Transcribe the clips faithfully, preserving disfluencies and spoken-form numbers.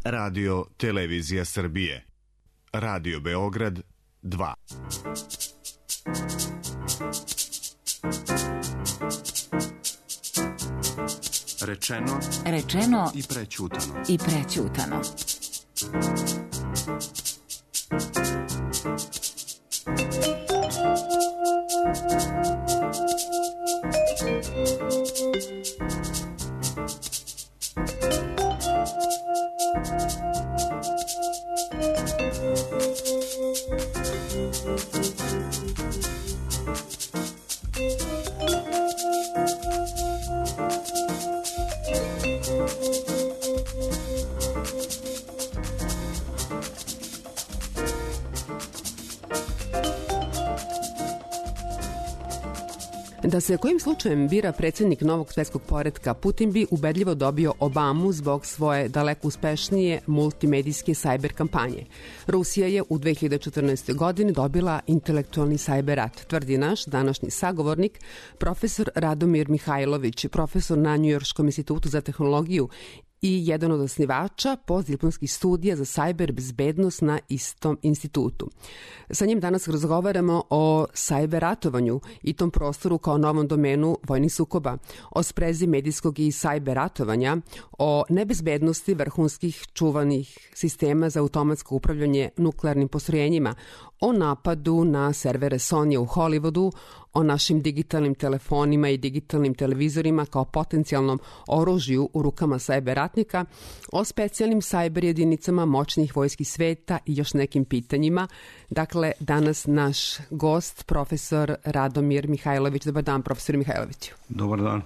Radio Televizija Srbije. Radio Beograd dva. Rečeno, Rečeno i prećutano. I prećutano. Da se kojim slučajem bira predsjednik novog svjetskog poretka, Putin bi ubedljivo dobio Obamu zbog svoje daleko uspešnije multimedijske sajber kampanje. Rusija je u dve hiljade četrnaestoj. godini dobila intelektualni sajber rat, tvrdi naš današnji sagovornik, profesor Radomir Mihajlović, profesor na Njujorškom institutu za tehnologiju i jedan od osnivača postdiplomskih studija za sajber bezbednost na istom institutu. Sa njim danas razgovaramo o sajber ratovanju i tom prostoru kao novom domenu vojnih sukoba, o sprezi medijskog i sajber ratovanja, o nebezbednosti vrhunskih čuvanih sistema za automatsko upravljanje nuklearnim postrojenjima, o napadu na servere Sony u Hollywoodu, o našim digitalnim telefonima i digitalnim televizorima kao potencijalnom oružju u rukama sajber ratnika, o specijalnim sajber jedinicama moćnih vojski sveta i još nekim pitanjima. Dakle, danas naš gost, profesor Radomir Mihajlović. Dobar dan, profesor Mihajloviću. Dobar dan.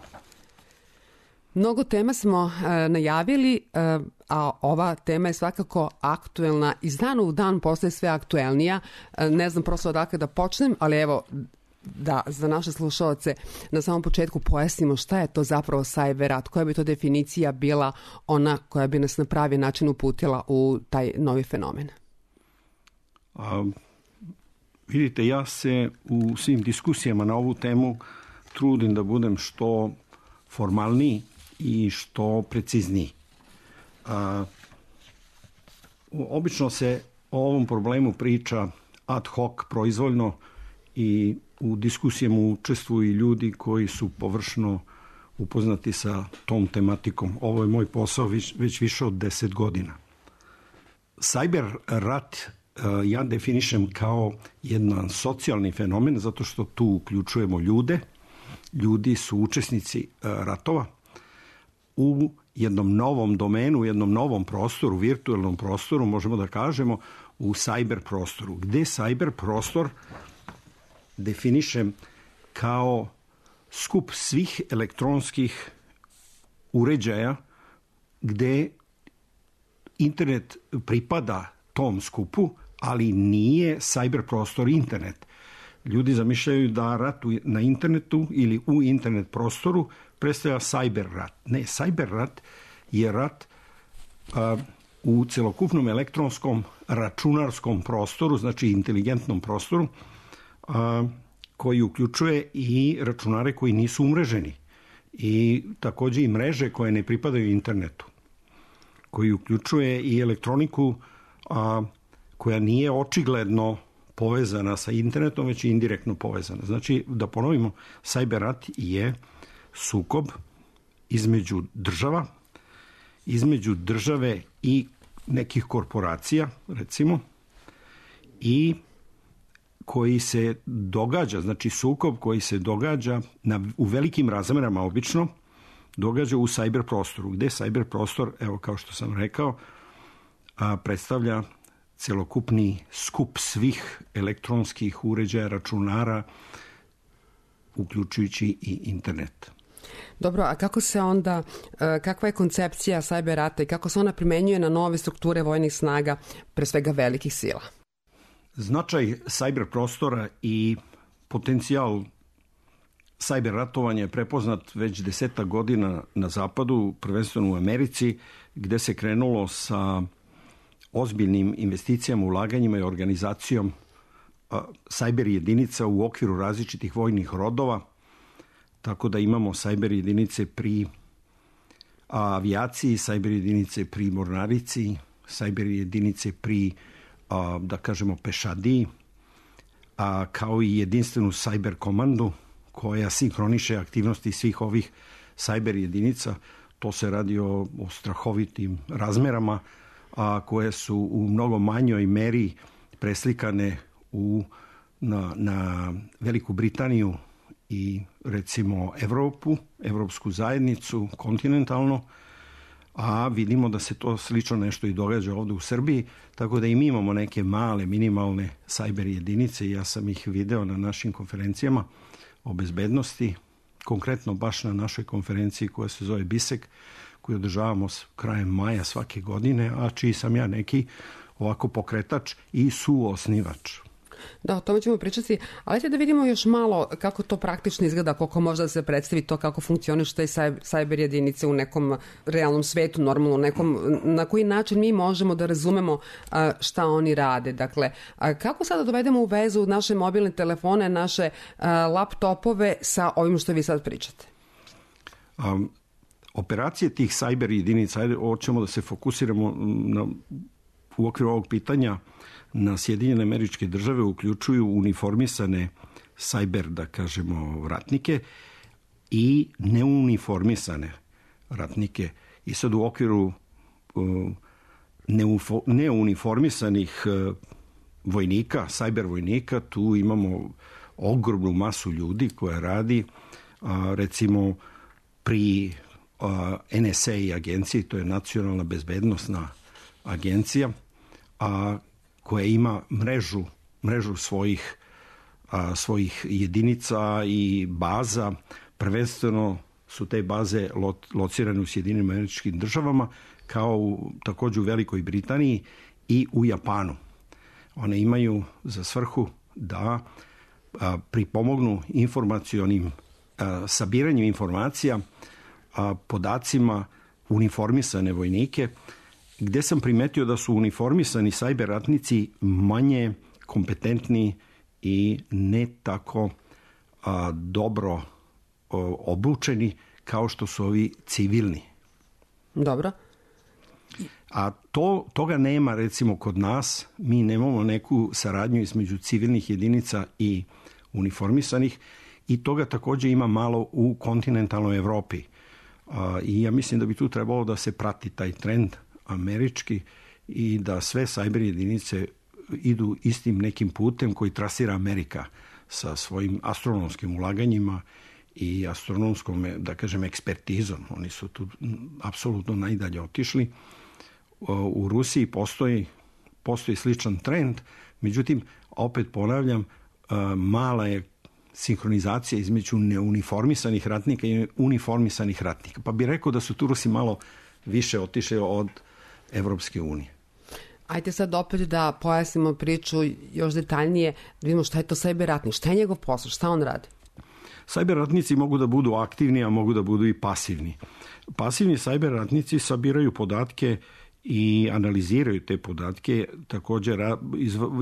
Mnogo tema smo e, najavili, e, a ova tema je svakako aktuelna. Iz dana u dan postaje sve aktuelnija. E, ne znam prosto odakle da počnem, ali evo, da za naše slušalce na samom početku pojasnimo šta je to zapravo sajber rat, koja bi to definicija bila ona koja bi nas na pravi način uputila u taj novi fenomen. A, vidite, ja se u svim diskusijama na ovu temu trudim da budem što formalniji i što precizniji. A, obično se o ovom problemu priča ad hoc, proizvoljno, i u diskusijama učestvuju ljudi koji su površno upoznati sa tom tematikom. Ovo je moj posao već, već više od deset godina. Sajber rat ja definišem kao jedan socijalni fenomen, zato što tu uključujemo ljude. Ljudi su učesnici ratova u jednom novom domenu, u jednom novom prostoru, virtualnom prostoru, možemo da kažemo u sajber prostoru, gde sajber prostor definišem kao skup svih elektronskih uređaja gde internet pripada tom skupu, ali nije sajber prostor internet. Ljudi zamišljaju da rat na internetu ili u internet prostoru predstavlja sajber rat. Ne, sajber rat je rat a, u celokupnom elektronskom računarskom prostoru, znači inteligentnom prostoru, a, koji uključuje i računare koji nisu umreženi i takođe i mreže koje ne pripadaju internetu, koji uključuje i elektroniku a, koja nije očigledno povezana sa internetom, već i indirektno povezana. Znači, da ponovimo, sajber rat je sukob između država, između države i nekih korporacija, recimo, i koji se događa, znači sukob koji se događa na, u velikim razmerama obično, događa u sajber prostoru, gde sajber prostor, evo kao što sam rekao, a, predstavlja celokupni skup svih elektronskih uređaja, računara, uključujući i internet. Dobro, a kako se onda, kakva je koncepcija sajber rata i kako se ona primenjuje na nove strukture vojnih snaga, pre svega velikih sila? Značaj sajber prostora i potencijal sajber ratovanja je prepoznat već desetak godina na zapadu, prvenstveno u Americi, gde se krenulo sa ozbiljnim investicijama, ulaganjima i organizacijom sajber jedinica u okviru različitih vojnih rodova, tako da imamo sajber jedinice pri avijaciji, sajber jedinice pri mornarici, sajber jedinice pri, a, da kažemo, pešadiji, a, kao i jedinstvenu sajber komandu koja sinhroniše aktivnosti svih ovih sajber jedinica. To se radi o, o strahovitim razmerama, a koje su u mnogo manjoj meri preslikane u, na, na Veliku Britaniju i recimo Evropu, Evropsku zajednicu, kontinentalno, a vidimo da se to slično nešto i događa ovdje u Srbiji, tako da i mi imamo neke male, minimalne sajber jedinice i ja sam ih video na našim konferencijama o bezbednosti, konkretno baš na našoj konferenciji koja se zove BISEK, koju održavamo krajem maja svake godine, a čiji sam ja neki ovako pokretač i suosnivač. Da, o tome ćemo pričati, ali ajde da vidimo još malo kako to praktično izgleda, koliko možda se predstavi to kako funkcioniš te sajber jedinice u nekom realnom svetu, normalno, nekom, na koji način mi možemo da razumemo šta oni rade. Dakle, kako sada dovedemo u vezu naše mobilne telefone, naše laptopove sa ovim što vi sad pričate? Um, operacije tih sajber jedinica, ajde, hoćemo da se fokusiramo na, u okviru ovog pitanja na Sjedinjene Američke Države, uključuju uniformisane sajber, da kažemo, ratnike i neuniformisane ratnike. I sad u okviru uh, neufo, neuniformisanih uh, vojnika, sajber vojnika, tu imamo ogromnu masu ljudi koja radi, uh, recimo pri uh, N S A agenciji, to je Nacionalna bezbednosna agencija, a uh, koja ima mrežu, mrežu svojih, a, svojih jedinica i baza. Prvenstveno su te baze lo, locirane u Sjedinjenim Američkim Državama, kao u, također u Velikoj Britaniji i u Japanu. One imaju za svrhu da a, pripomognu informacionim a, sabiranjem informacija, a, podacima uniformisane vojnike, gde sam primetio da su uniformisani sajber ratnici manje kompetentni i ne tako a, dobro a, obučeni kao što su ovi civilni. Dobro. A to, toga nema recimo kod nas. Mi nemamo neku saradnju između civilnih jedinica i uniformisanih i toga također ima malo u kontinentalnoj Evropi. A, I ja mislim da bi tu trebalo da se prati taj trend američki i da sve sajber jedinice idu istim nekim putem koji trasira Amerika sa svojim astronomskim ulaganjima i astronomskom, da kažem, ekspertizom. Oni su tu apsolutno najdalje otišli. U Rusiji postoji, postoji sličan trend, međutim, opet ponavljam, mala je sinhronizacija između neuniformisanih ratnika i uniformisanih ratnika. Pa bih rekao da su tu Rusi malo više otišli od Evropske unije. Ajde sad opet da pojasnimo priču još detaljnije, da vidimo šta je to sajber ratnik, šta je njegov posao, šta on radi? Sajber ratnici mogu da budu aktivni, a mogu da budu i pasivni. Pasivni sajber ratnici sabiraju podatke i analiziraju te podatke, također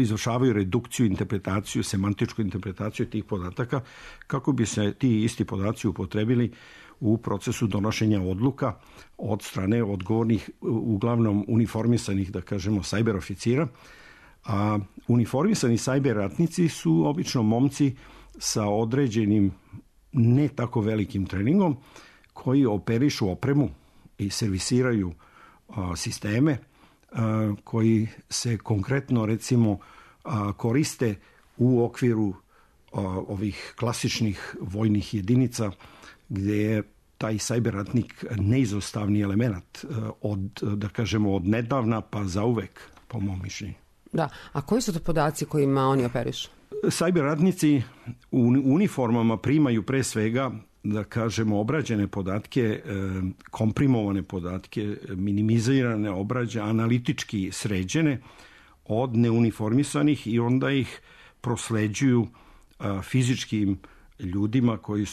izvršavaju redukciju, interpretaciju, semantičku interpretaciju tih podataka, kako bi se ti isti podaci upotrebili u procesu donošenja odluka od strane odgovornih, uglavnom uniformisanih, da kažemo, sajber oficira. A uniformisani sajber ratnici su obično momci sa određenim ne tako velikim treningom koji operišu opremu i servisiraju a, sisteme a, koji se konkretno recimo a, koriste u okviru a, ovih klasičnih vojnih jedinica gdje je taj sajber ratnik neizostavni element od, da kažemo, od nedavna pa zauvek, po mom mišljenju. Da, a koji su to podaci kojima oni operišu? Sajber ratnici u uniformama primaju pre svega, da kažemo, obrađene podatke, komprimovane podatke, minimizirane, obrađe, analitički sređene od neuniformisanih i onda ih prosleđuju fizičkim ljudima, koji,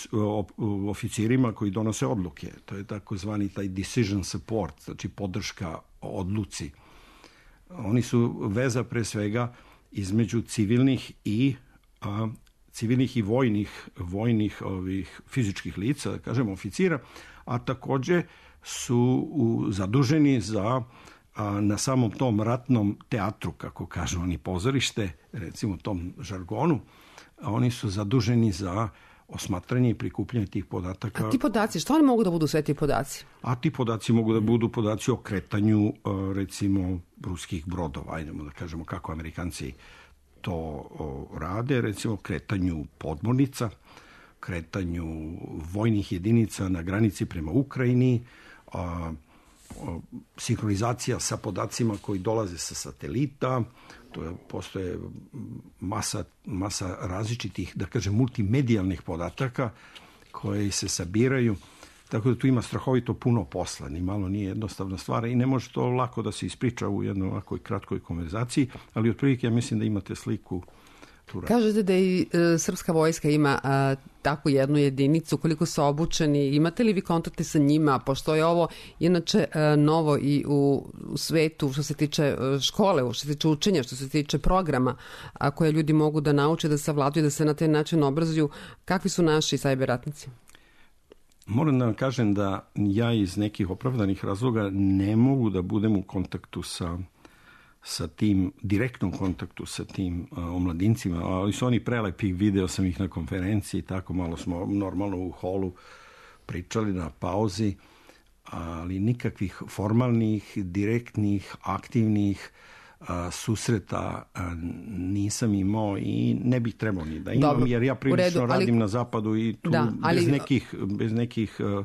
oficirima koji donose odluke. To je takozvani taj decision support, znači podrška odluci. Oni su veza pre svega između civilnih i a, civilnih i vojnih, vojnih ovih fizičkih lica, da kažemo oficira, a također su u, zaduženi za a, na samom tom ratnom teatru, kako kažu oni, pozorište, recimo tom žargonu, a oni su zaduženi za osmatranje i prikupljanje tih podataka. A ti podaci, što oni mogu da budu sve ti podaci? A ti podaci mogu da budu podaci o kretanju, recimo, ruskih brodova, ajdemo da kažemo kako Amerikanci to rade, recimo kretanju podmornica, kretanju vojnih jedinica na granici prema Ukrajini, a, a, sinhronizacija sa podacima koji dolaze sa satelita, to je, postoje masa, masa različitih, da kažem, multimedijalnih podataka koji se sabiraju, tako da tu ima strahovito puno posla, ni malo nije jednostavna stvar i ne može to lako da se ispriča u jednoj ovakvoj kratkoj konverzaciji, ali otprilike ja mislim da imate sliku. Kažete da i e, srpska vojska ima a, takvu jednu jedinicu, koliko su obučeni, imate li vi kontakte sa njima, pošto je ovo inače a, novo i u, u svetu što se tiče a, škole, što se tiče učenja, što se tiče programa a, koje ljudi mogu da nauče, da savladuju, da se na taj način obrazuju. Kakvi su naši sajber ratnici? Moram da vam kažem da ja iz nekih opravdanih razloga ne mogu da budem u kontaktu sa sa tim, direktnom kontaktu sa tim uh, omladincima, ali su oni prelepi, video sam ih na konferenciji, tako malo smo normalno u holu pričali na pauzi, ali nikakvih formalnih, direktnih, aktivnih uh, susreta uh, nisam imao i ne bih trebao ni da imam, dobro, jer ja prilično redu, ali, radim na zapadu i tu da, ali, bez nekih, bez nekih uh,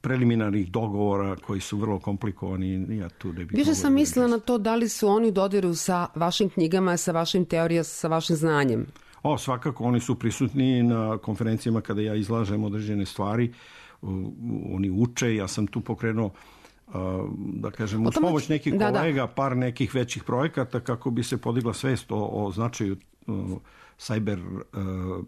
preliminarnih dogovora koji su vrlo komplikovani. Ja tu ne bih Više sam mislila na to da li su oni u dodiru sa vašim knjigama, sa vašim teorijama, sa vašim znanjem. O, svakako, oni su prisutni na konferencijama kada ja izlažem određene stvari. Oni uče, ja sam tu pokrenuo da kažem, uz pomoć nekih da, kolega, da. par nekih većih projekata kako bi se podigla svest o, o značaju sajber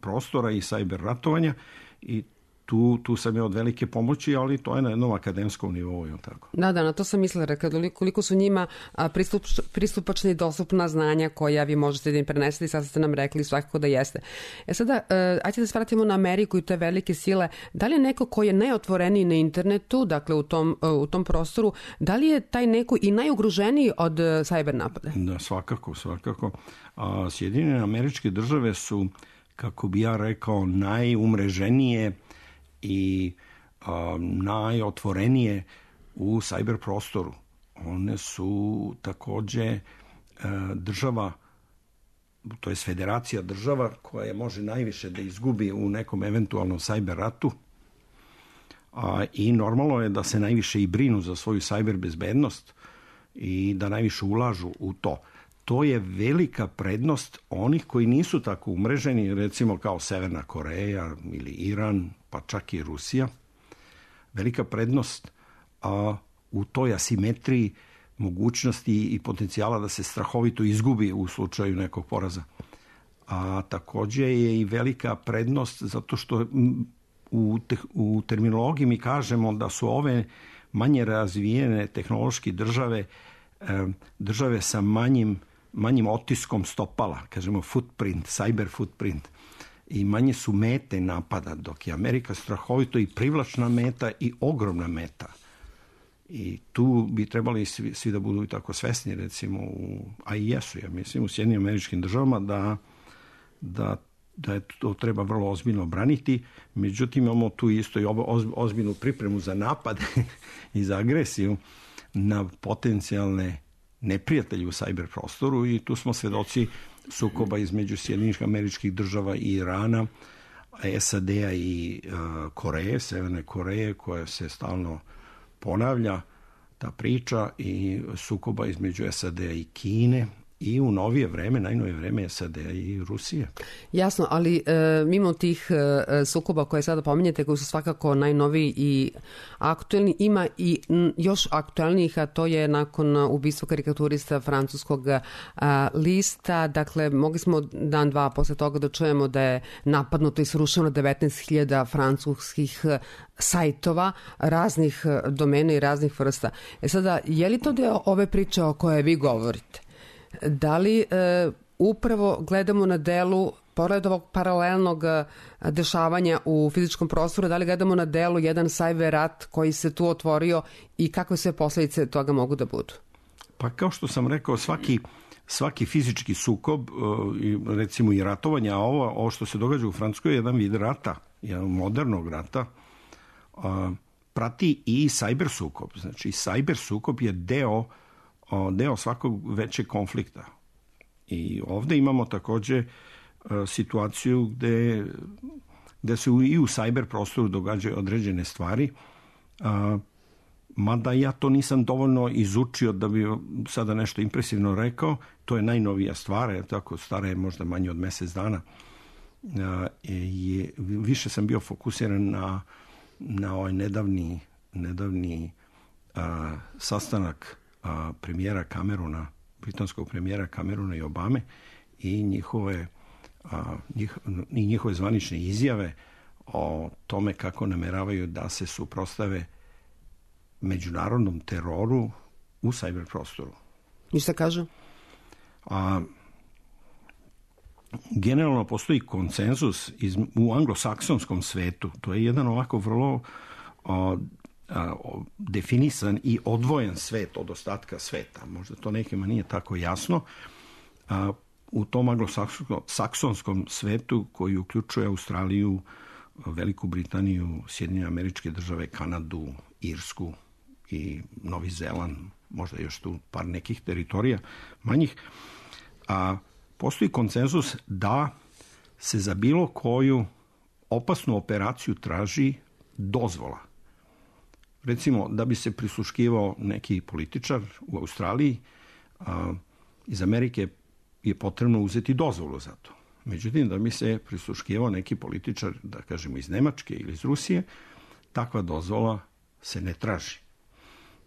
prostora i sajber ratovanja i Tu, tu sam je od velike pomoći, ali to je na jednom akademskom nivou. Tako. Da, da, na to sam mislila, rekla, koliko su njima pristup, pristupačna i dostupna znanja koja vi možete da im prenesete i sad ste nam rekli svakako da jeste. E sada, ajde da se vratimo na Ameriku i te velike sile. Da li je neko ko je najotvoreniji na internetu, dakle u tom, u tom prostoru, da li je taj neko i najugroženiji od sajber napada? Da, svakako, svakako. A, Sjedinjene Američke Države su, kako bi ja rekao, najumreženije i a, najotvorenije u sajber prostoru. One su takođe a, država, to je federacija država koja može najviše da izgubi u nekom eventualnom sajber ratu a, i normalno je da se najviše i brinu za svoju sajber bezbednost i da najviše ulažu u to. To je velika prednost onih koji nisu tako umreženi, recimo kao Severna Koreja ili Iran, pa čak i Rusija. Velika prednost a, u toj asimetriji mogućnosti i potencijala da se strahovito izgubi u slučaju nekog poraza. A takođe je i velika prednost zato što u, te, u terminologiji mi kažemo da su ove manje razvijene tehnološke države e, države sa manjim manjim otiskom stopala, kažemo footprint, cyber footprint, i manje su mete napada, dok je Amerika strahovito i privlačna meta i ogromna meta. I tu bi trebali svi, svi da budu tako svesni, recimo, u, a i jesu, ja mislim, u Sjedinjenim Američkim Državama, da, da, da je to treba vrlo ozbiljno braniti. Međutim, imamo tu isto i ozbiljnu pripremu za napad i za agresiju na potencijalne neprijatelji u sajber prostoru i tu smo svedoci sukoba između Sjedinjenih Američkih Država i Irana, S A D-a i uh, Koreje, Severne Koreje, koja se stalno ponavlja ta priča, i sukoba između S A D-a i Kine i u novije vreme, najnovije vreme S A D-a i Rusije. Jasno, ali e, mimo tih e, sukoba koje sada pominjete, koji su svakako najnoviji i aktuelni, ima i m, još aktuelnijih, a to je nakon ubistva karikaturista francuskog a, lista. Dakle, mogli smo dan, dva posle toga da čujemo da je napadnuto i srušeno devetnaest hiljada francuskih sajtova raznih domena i raznih vrsta. E sada, je li to deo ove priče o kojoj vi govorite? Da li e, upravo gledamo na delu, pored ovog paralelnog dešavanja u fizičkom prostoru, da li gledamo na delu jedan sajber rat koji se tu otvorio i kakve sve posledice toga mogu da budu? Pa kao što sam rekao, svaki, svaki fizički sukob, recimo i ratovanje, a ovo, ovo što se događa u Francuskoj je jedan vid rata, jedan modernog rata, prati i cyber sukob. Znači, cyber sukob je deo, deo svakog većeg konflikta. I ovdje imamo također situaciju gde, gde se i u cyber prostoru događaju određene stvari, mada ja to nisam dovoljno izučio da bi sada nešto impresivno rekao. To je najnovija stvar, je tako, stara je možda manje od mjesec dana. Je, više sam bio fokusiran na, na ovaj nedavni, nedavni a, sastanak a, premijera Camerona, britanskog premijera Camerona i Obame i njihove, a, njih, i njihove zvanične izjave o tome kako nameravaju da se suprotstave međunarodnom teroru u cyber prostoru. I šta kažu? A, generalno postoji konsenzus iz, u anglosaksonskom svetu. To je jedan ovako vrlo o, a, o, definisan i odvojen svet od ostatka sveta. Možda to nekima nije tako jasno. A, u tom anglosaksonskom svetu koji uključuje Australiju, Veliku Britaniju, Sjedinjene Američke Države, Kanadu, Irsku i Novi Zeland, možda još tu par nekih teritorija manjih, a postoji konsenzus da se za bilo koju opasnu operaciju traži dozvola. Recimo, da bi se prisluškivao neki političar u Australiji, a, iz Amerike je potrebno uzeti dozvolu za to. Međutim, da bi se prisluškivao neki političar, da kažemo iz Nemačke ili iz Rusije, takva dozvola se ne traži.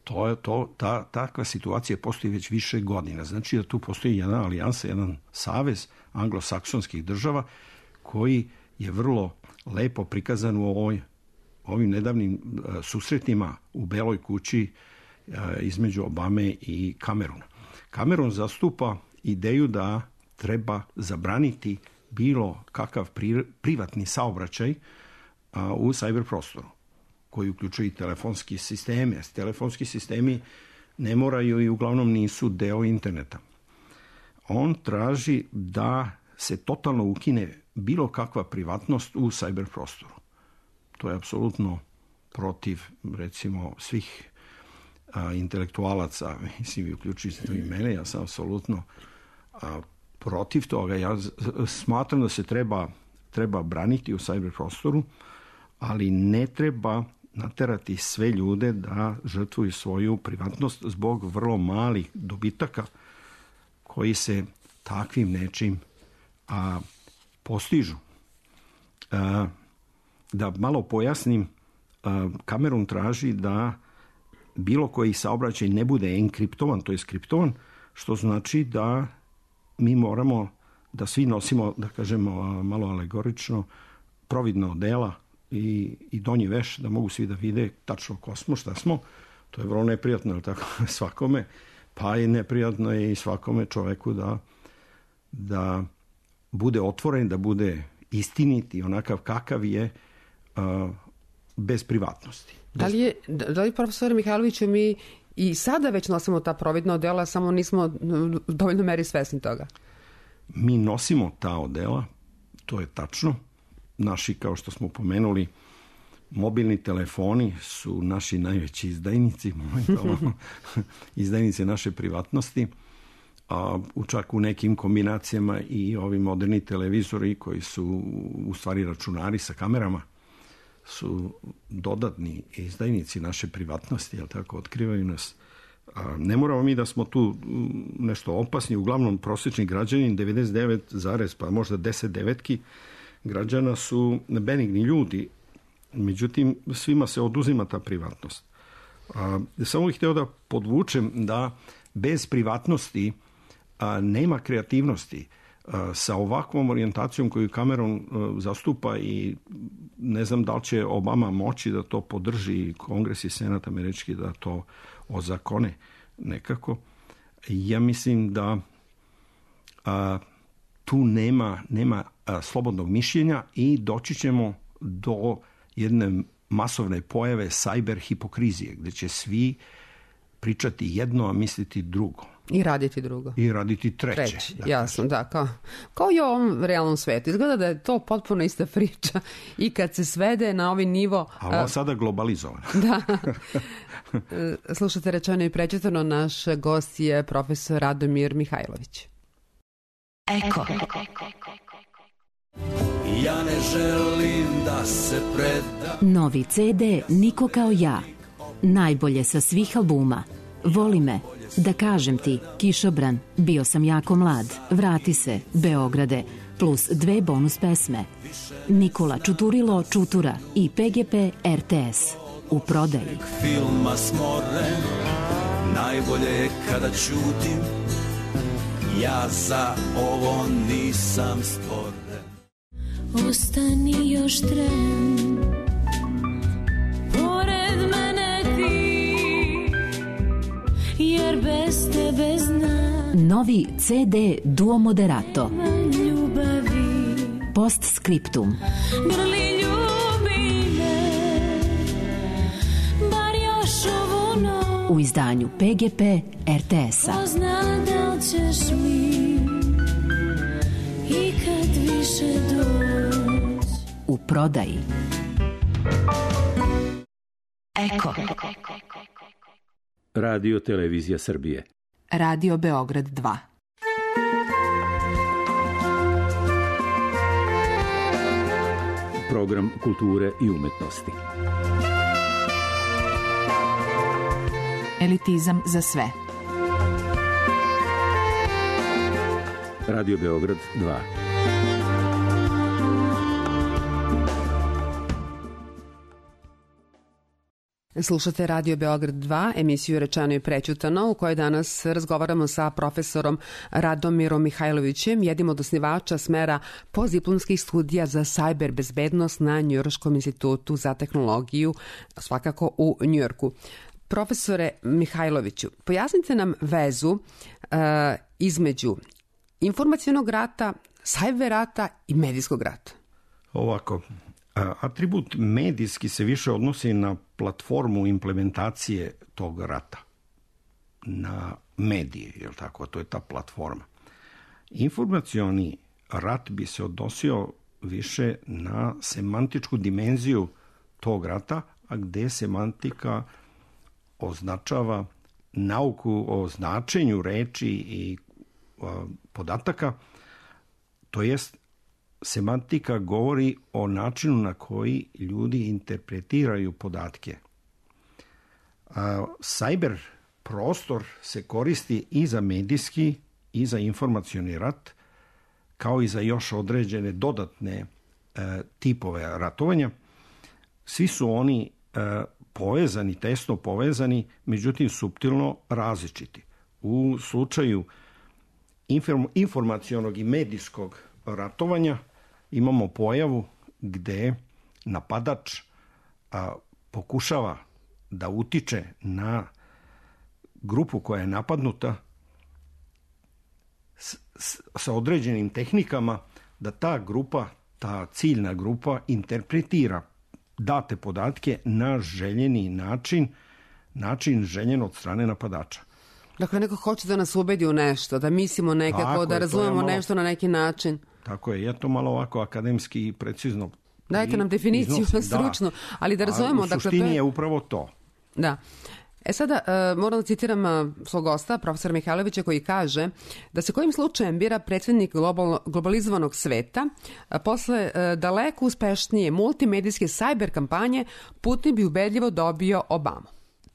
To je to, ta, takva situacija postoji već više godina. Znači da tu postoji jedna alijansa, jedan savez anglosaksonskih država koji je vrlo lepo prikazan u ovoj, ovim nedavnim uh, susretima u Beloj kući uh, između Obame i Camerona. Cameron zastupa ideju da treba zabraniti bilo kakav pri, privatni saobraćaj a, u cyber prostoru, koji uključuje i telefonski sistemi. Telefonski sistemi ne moraju i uglavnom nisu deo interneta. On traži da se totalno ukine bilo kakva privatnost u cyber prostoru. To je apsolutno protiv, recimo, svih a, intelektualaca, mislim, uključujući i mene, ja sam apsolutno a, protiv toga. Ja smatram da se treba, treba braniti u cyber prostoru, ali ne treba naterati sve ljude da žrtvuju svoju privatnost zbog vrlo malih dobitaka koji se takvim nečim a, postižu. A, da malo pojasnim, a, Cameron traži da bilo koji saobraćaj ne bude enkriptovan, to je skriptovan, što znači da mi moramo da svi nosimo, da kažemo malo alegorično, providna odela i, i donji veš, da mogu svi da vide tačno ko smo, šta smo. To je vrlo neprijatno, ali tako, svakome. Pa je neprijatno i svakome čoveku da, da bude otvoren, da bude istinit i onakav kakav je, uh, bez privatnosti. Bez... Da li je, da li profesor Mihajloviću, mi i sada već nosimo ta providna odela, samo nismo u dovoljno meri svesni toga? Mi nosimo ta odela, to je tačno. Naši, kao što smo pomenuli, mobilni telefoni su naši najveći izdajnici, izdajnici naše privatnosti, a čak u nekim kombinacijama i ovi moderni televizori koji su u stvari računari sa kamerama su dodatni izdajnici naše privatnosti, jel tako, otkrivaju nas. A ne moramo mi da smo tu nešto opasni, uglavnom prosječni građanin, devedeset devet zarez pa možda deset devetki građana su benigni ljudi, međutim svima se oduzima ta privatnost. A, samo bih htio da podvučem da bez privatnosti a, nema kreativnosti. A, sa ovakvom orijentacijom koju Cameron a, zastupa i ne znam da li će Obama moći da to podrži, Kongres i Senat američki da to ozakone nekako. Ja mislim da a, tu nema, nema a, slobodnog mišljenja i doći ćemo do jedne masovne pojave cyber hipokrizije, gdje će svi pričati jedno, a misliti drugo. I raditi drugo. I raditi treće. Treći, da jasno, da. Kao, kao i u ovom realnom svetu. Izgleda da je to potpuno ista priča i kad se svede na ovaj nivo... A ovo sada globalizovano. Da. Slušate Rečeno i prečitano, naš gost je profesor Radomir Mihajlović. Eko. Ja ne želim da se predam. Novi ce de Niko kao ja. Najbolje sa svih albuma. Voli me, Da kažem ti, Kišobran, Bio sam jako mlad, Vrati se, Beograde, plus dve bonus pesme. Nikola Čuturilo Čutura i pe ge pe er te es. U prodaji. Filma smoren, najbolje je kada ćutim, ja za ovo nisam stvoren. Ostani još tren, pored mene ti, jer bez tebe znam. Novi ce de Duo Moderato. Ljubavi. Postscriptum. Grli ljubi me, bar još ovu noć. U izdanju pe ge pe er te es-a. Ko zna da li ćeš mi i kad više doć. U prodaji. Eko. Radio Televizija Srbije. Radio Beograd dva. Program kulture i umetnosti. Elitizam za sve. Radio Beograd dva. Slušate Radio Beograd dva, emisiju Rečeno i prećutano, u kojoj danas razgovaramo sa profesorom Radomirom Mihajlovićem, jednim od osnivača smera postdiplomskih studija za sajber bezbednost na Njujorškom institutu za tehnologiju, svakako u Njujorku. Profesore Mihajloviću, pojasnite nam vezu uh, između informacionog rata, sajber rata i medijskog rata. Ovako, atribut medijski se više odnosi na platformu implementacije tog rata, na medije, je li tako? To je ta platforma. Informacioni rat bi se odnosio više na semantičku dimenziju tog rata, a gde semantika označava nauku o značenju reči i a, podataka, to jest semantika govori o načinu na koji ljudi interpretiraju podatke. A, cyber prostor se koristi i za medijski i za informacioni rat, kao i za još određene dodatne e, tipove ratovanja. Svi su oni e, povezani, tesno povezani, međutim suptilno različiti. U slučaju inform, informacionog i medijskog ratovanja imamo pojavu gde napadač a, pokušava da utiče na grupu koja je napadnuta s, s, sa određenim tehnikama, da ta grupa, ta ciljna grupa interpretira date podatke na željeni način, način željen od strane napadača. Dakle, neko hoće da nas ubedi u nešto, da mislimo nekako, tako da je, razumemo malo, nešto na neki način. Tako je, je to malo ovako akademski i precizno. Dajte nam definiciju iznosim, stručnu, da, ali da razumemo. U suštini dakle, to je... je upravo to. Da. E sada, uh, moram da citiram uh, svog gosta, profesora Mihajlovića, koji kaže da se kojim slučajem bira predsjednik global, globalizovanog sveta, uh, posle uh, daleko uspešnije multimedijske sajber kampanje, Putin bi ubedljivo dobio Obamu.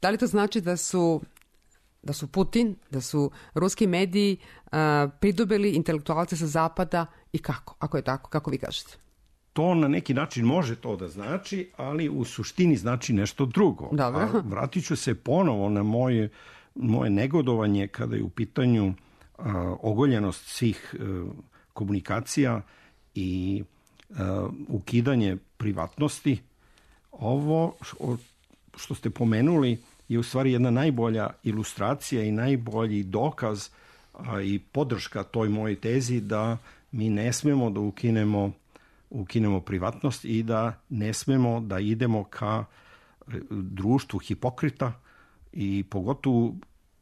Da li to znači da su... da su Putin, da su ruski mediji uh, pridobili intelektualce sa zapada i kako? Ako je tako, kako vi kažete? To na neki način može to da znači, ali u suštini znači nešto drugo. Dobro. A vratit ću se ponovo na moje, moje negodovanje kada je u pitanju uh, ogoljenost svih uh, komunikacija i uh, ukidanje privatnosti. Ovo što ste pomenuli je u stvari jedna najbolja ilustracija i najbolji dokaz a, i podrška toj mojoj tezi da mi ne smemo da ukinemo, ukinemo privatnost i da ne smemo da idemo ka društvu hipokrita i pogotovo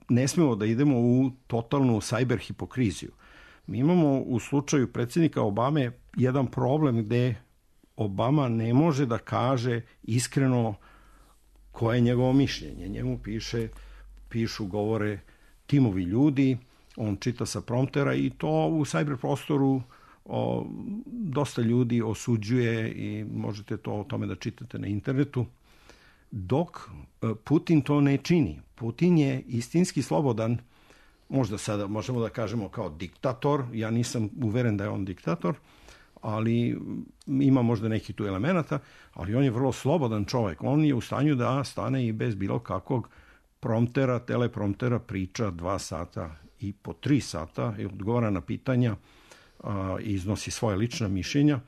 ne smemo da idemo u totalnu sajber hipokriziju. Mi imamo u slučaju predsjednika Obame jedan problem gde Obama ne može da kaže iskreno koje je njegovo mišljenje. Njemu piše, pišu, govore timovi ljudi, on čita sa promptera i to u sajber prostoru o, dosta ljudi osuđuje i možete to o tome da čitate na internetu. Dok Putin to ne čini. Putin je istinski slobodan, možda sada možemo da kažemo kao diktator, ja nisam uveren da je on diktator, ali ima možda neki tu elemenata, ali on je vrlo slobodan čovjek. On je u stanju da stane i bez bilo kakvog promptera, telepromptera priča dva sata i po tri sata i odgovara na pitanja i iznosi svoje lična mišljenja.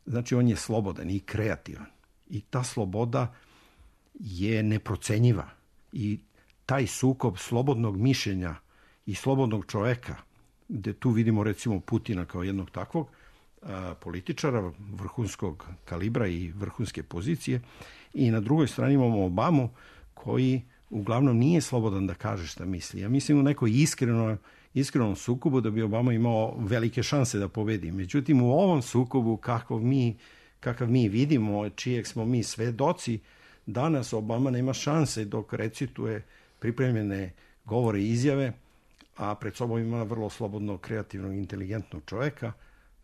Znači on je slobodan i kreativan. I ta sloboda je neprocenjiva. I taj sukob slobodnog mišljenja i slobodnog čoveka, gde tu vidimo recimo Putina kao jednog takvog a, političara vrhunskog kalibra i vrhunske pozicije, i na drugoj strani imamo Obamu koji uglavnom nije slobodan da kaže šta misli. Ja mislim u nekoj iskreno, iskrenom sukobu da bi Obama imao velike šanse da pobedi. Međutim, u ovom sukobu kakav mi, kakav mi vidimo, čijeg smo mi svedoci, danas Obama nema šanse dok recituje pripremljene govore i izjave, a pred sobom ima vrlo slobodnog, kreativnog, inteligentnog čovjeka.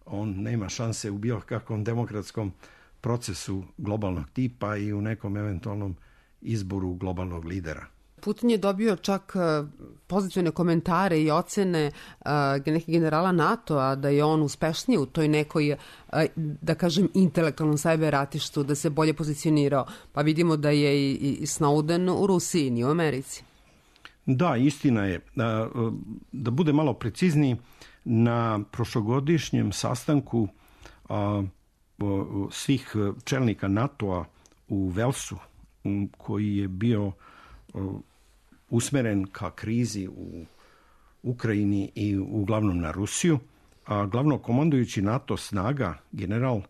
On nema šanse u bilo kakvom demokratskom procesu globalnog tipa i u nekom eventualnom izboru globalnog lidera. Putin je dobio čak pozitivne komentare i ocene nekih generala NATO-a da je on uspešniji u toj nekoj, da kažem, intelektualnom sajber ratištu, da se bolje pozicionirao. Pa vidimo da je i Snowden u Rusiji, nije u Americi. Da, istina je. Da bude malo precizniji, na prošlogodišnjem sastanku svih čelnika NATO-a u Velsu, koji je bio usmeren ka krizi u Ukrajini i uglavnom na Rusiju, a glavno komandujući NATO snaga, general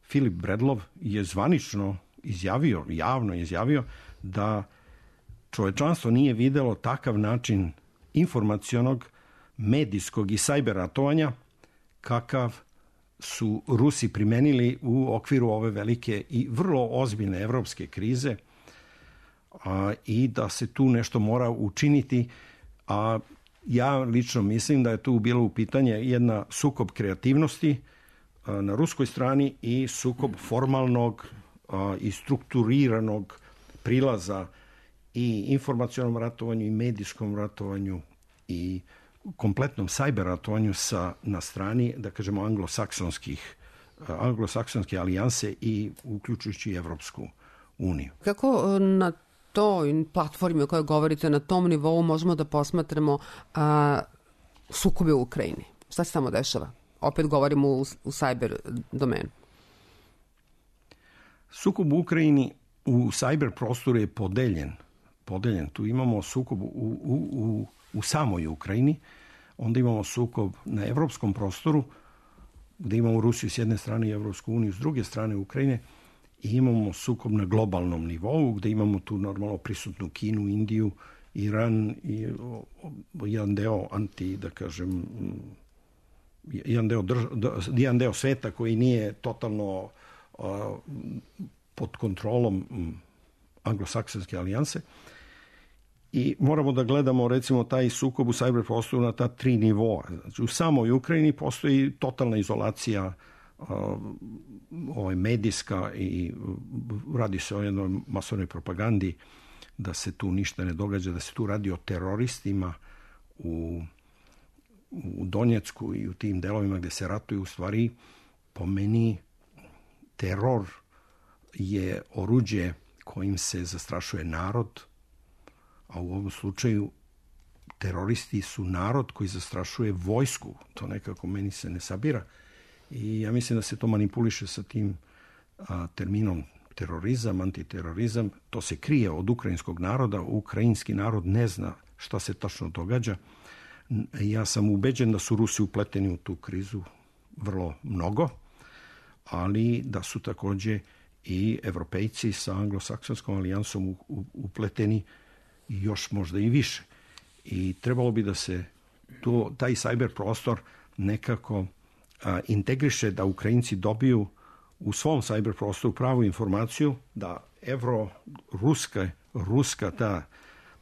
Filip Bredlov, je zvanično izjavio, javno izjavio da čovečanstvo nije videlo takav način informacionog, medijskog i sajber ratovanja kakav su Rusi primenili u okviru ove velike i vrlo ozbiljne evropske krize, a, i da se tu nešto mora učiniti. A ja lično mislim da je tu bilo u pitanje jedna sukob kreativnosti a, na ruskoj strani i sukob formalnog a, i strukturiranog prilaza i informacionom ratovanju i medijskom ratovanju i kompletnom sajber ratovanju sa, na strani, da kažemo, anglosaksonskih, anglosaksonske alijanse i uključujući Evropsku uniju. Kako na toj platformi o kojoj govorite, na tom nivou možemo da posmatramo a, sukobe u Ukrajini? Šta se tamo dešava? Opet govorimo u, u sajber domenu. Sukob u Ukrajini u sajber prostoru je podeljen. podeljen. Tu imamo sukob u, u, u, u samoj Ukrajini, onda imamo sukob na evropskom prostoru, gde imamo Rusiju s jedne strane i Evropsku uniju s druge strane Ukrajine, i imamo sukob na globalnom nivou, gde imamo tu normalno prisutnu Kinu, Indiju, Iran i o, o, jedan deo anti, da kažem, jedan deo, drž, jedan deo sveta koji nije totalno a, pod kontrolom anglosaksonske alijanse. I moramo da gledamo recimo taj sukob u sajber prostoru na ta tri nivoa. Znači, u samoj Ukrajini postoji totalna izolacija uh, ovaj, medijska i radi se o jednoj masovnoj propagandi da se tu ništa ne događa, da se tu radi o teroristima u, u Donjecku i u tim delovima gde se ratuju. U stvari, po meni, teror je oruđe kojim se zastrašuje narod, a u ovom slučaju teroristi su narod koji zastrašuje vojsku. To nekako meni se ne sabira. I ja mislim da se to manipuliše sa tim a, terminom terorizam, antiterorizam. To se krije od ukrajinskog naroda. Ukrajinski narod ne zna šta se tačno događa. Ja sam ubeđen da su Rusi upleteni u tu krizu vrlo mnogo, ali da su takođe i Evropejci sa anglosaksonskom alijansom upleteni i još možda i više. I trebalo bi da se to, taj cyber prostor nekako a, integriše, da Ukrajinci dobiju u svom cyber prostoru pravu informaciju, da evro-ruska ruska ta,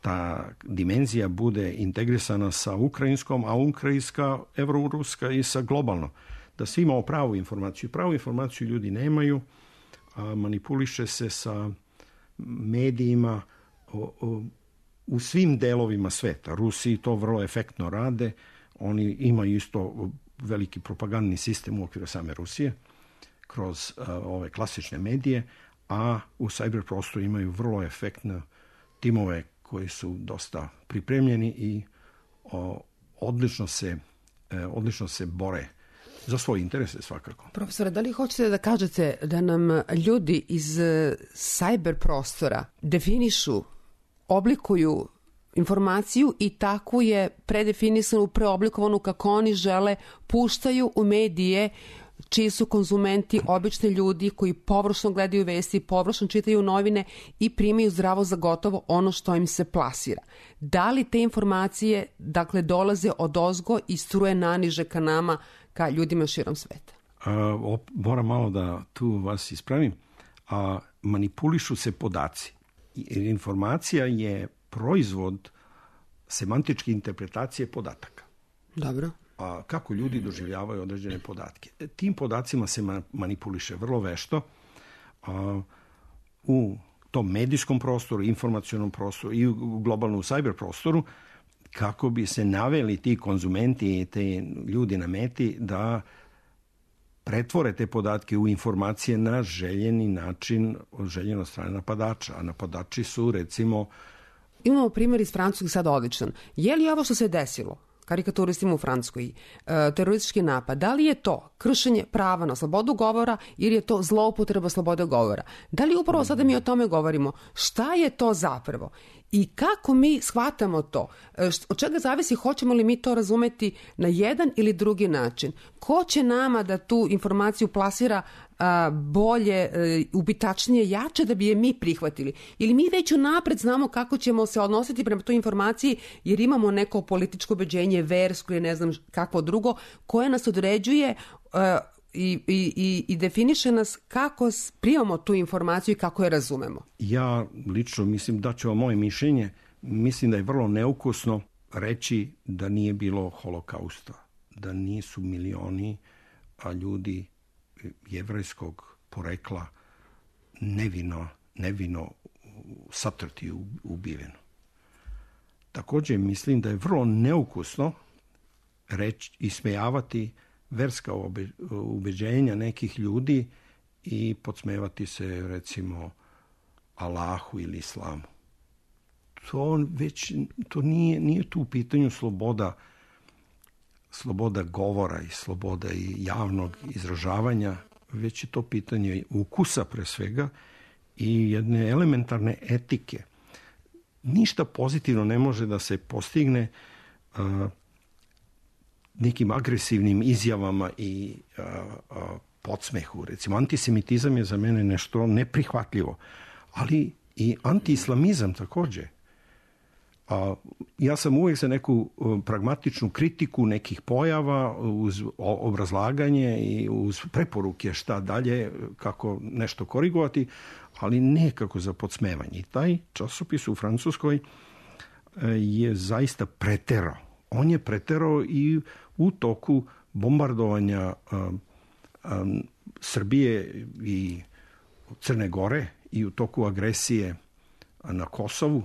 ta dimenzija bude integrisana sa ukrajinskom, a ukrajinska, evro-ruska i sa globalno. Da svi imamo pravu informaciju. Pravu informaciju ljudi nemaju, a manipuliše se sa medijima o, o, u svim delovima sveta. Rusi to vrlo efektno rade. Oni imaju isto veliki propagandni sistem u okviru same Rusije kroz uh, ove klasične medije, a u cyber prostoru imaju vrlo efektne timove koji su dosta pripremljeni i o, odlično se e, odlično se bore za svoje interese svakako. Profesore, da li hoćete da kažete da nam ljudi iz cyber prostora definišu, oblikuju informaciju i takvu je predefinisanu, preoblikovanu kako oni žele, puštaju u medije čiji su konzumenti obični ljudi koji površno gledaju vesti, površno čitaju novine i primaju zdravo za gotovo ono što im se plasira. Da li te informacije, dakle, dolaze odozgo i struje naniže ka nama, ka ljudima širom sveta? A, op, moram malo da tu vas ispravim. A, manipulišu se podaci. Informacija je proizvod semantičke interpretacije podataka. Dobro. A kako ljudi doživljavaju određene podatke. Tim podacima se manipuliše vrlo vešto a, u tom medijskom prostoru, informacionom prostoru i u globalnom cyber prostoru, kako bi se naveli ti konzumenti i te ljudi na meti da pretvore te podatke u informacije na željeni način, željeno strane napadača. A napadači su, recimo... Imamo primjer iz Francuske sad odličan. Je li ovo što se desilo, karikaturistima u Francuskoj, teroristički napad, da li je to kršenje prava na slobodu govora ili je to zloupotreba slobode govora? Da li upravo sada mi o tome govorimo? Šta je to zapravo? I kako mi shvatamo to? Od čega zavisi hoćemo li mi to razumeti na jedan ili drugi način? Ko će nama da tu informaciju plasira a, bolje, a, ubitačnije, jače da bi je mi prihvatili? Ili mi već unapred znamo kako ćemo se odnositi prema toj informaciji jer imamo neko političko ubeđenje, versko ili ne znam kakvo drugo, koje nas određuje a, i, i, i definiše nas kako primamo tu informaciju i kako je razumemo. Ja lično mislim, da ću vam moje mišljenje, mislim da je vrlo neukusno reći da nije bilo holokausta, da nisu milioni a ljudi jevrejskog porekla nevino, nevino satrti, ubiveno. Također mislim da je vrlo neukusno reći, ismejavati verska ubeđenja nekih ljudi i podsmevati se, recimo, Allahu ili Islamu. To već, to nije, nije tu u pitanju sloboda, sloboda govora i sloboda i javnog izražavanja, već je to pitanje ukusa pre svega i jedne elementarne etike. Ništa pozitivno ne može da se postigne uh, nekim agresivnim izjavama i a, a, podsmehu. Recimo, antisemitizam je za mene nešto neprihvatljivo, ali i antiislamizam također. A, ja sam uvijek za neku a, pragmatičnu kritiku nekih pojava uz obrazlaganje i uz preporuke šta dalje, kako nešto korigovati, ali ne kako za podsmevanje. I taj časopis u Francuskoj a, je zaista preterao. On je preterao i u toku bombardovanja um, um, Srbije i Crne Gore i u toku agresije na Kosovu.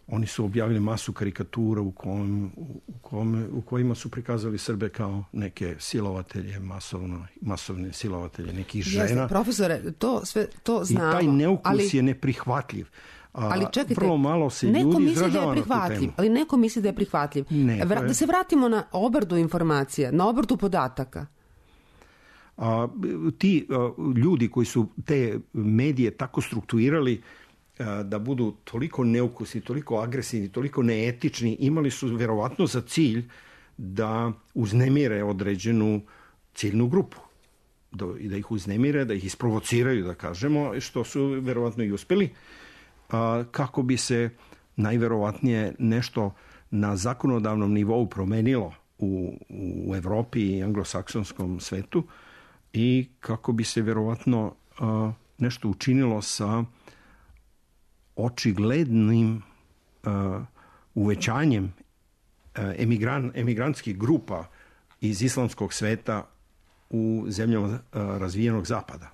Oni su objavili masu karikatura u, kojim, u, kojim, u kojima su prikazali Srbe kao neke silovatelje, masovno, masovne silovatelje nekih žena. Jeste, profesore, to sve to znamo. I taj neukus ali... je neprihvatljiv. A, ali čekajte, vrlo malo se neko ljudi misli da je izražava na tu prihvatljiv, temu. ali neko misli da je prihvatljiv. Ne, Vra, da se vratimo na obradu informacija, na obradu podataka. A, ti a, ljudi koji su te medije tako strukturirali a, da budu toliko neukusni, toliko agresivni, toliko neetični, imali su verovatno za cilj da uznemire određenu ciljnu grupu. Da, da ih uznemire, da ih isprovociraju, da kažemo, što su verovatno i uspeli, a, kako bi se najverovatnije nešto na zakonodavnom nivou promenilo u, u Evropi i anglosaksonskom svetu i kako bi se verovatno a, nešto učinilo sa očiglednim a, uvećanjem a, emigran, emigrantskih grupa iz islamskog sveta u zemljama a, razvijenog zapada.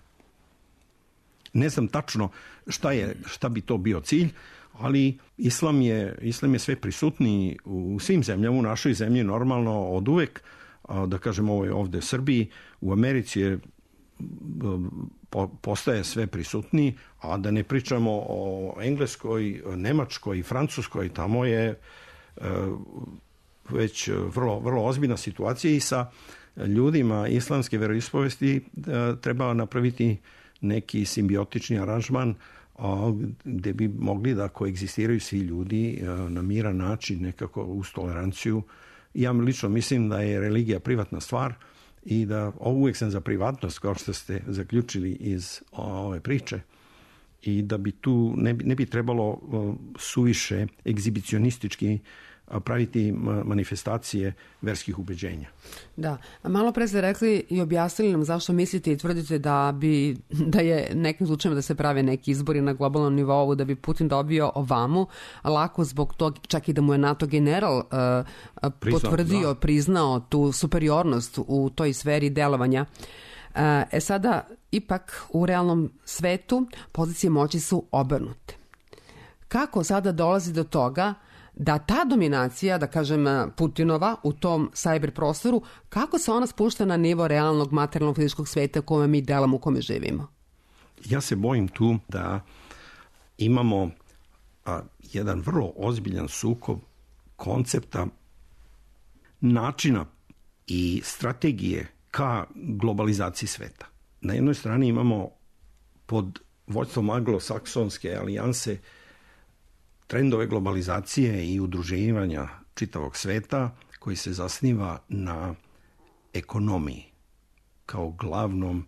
Ne znam tačno šta je, šta bi to bio cilj, ali islam je, islam je sve prisutniji u svim zemljama, u našoj zemlji normalno od uvek, da kažem ovo je ovde u Srbiji, u Americi je, postaje sve prisutniji, a da ne pričamo o Engleskoj, Nemačkoj i Francuskoj, tamo je već vrlo, vrlo ozbiljna situacija i sa ljudima islamske veroispovesti treba napraviti neki simbiotični aranžman gde bi mogli da koegzistiraju svi ljudi na miran način, nekako uz toleranciju. Ja lično mislim da je religija privatna stvar i da uvijek sam za privatnost, kao što ste zaključili iz ove priče, i da bi tu ne bi, ne bi trebalo suviše egzibicionistički praviti manifestacije verskih ubeđenja. Da, malo pre ste rekli i objasnili nam zašto mislite i tvrdite da bi da je nekim slučajima da se prave neki izbori na globalnom nivou, da bi Putin dobio ovamu, lako zbog toga čak i da mu je NATO general uh, Priznam, potvrdio, da. priznao tu superiornost u toj sferi delovanja. Uh, e sada, ipak u realnom svetu pozicije moći su obrnute. Kako sada dolazi do toga da ta dominacija, da kažem Putinova, u tom cyber prostoru, kako se ona spušta na nivo realnog materijalnog fizičkog sveta u kome mi delamo, u kome živimo? Ja se bojim tu da imamo a, jedan vrlo ozbiljan sukob koncepta, načina i strategije ka globalizaciji sveta. Na jednoj strani imamo pod vođstvom anglosaksonske alijanse trendove globalizacije i udruživanja čitavog sveta koji se zasniva na ekonomiji kao glavnom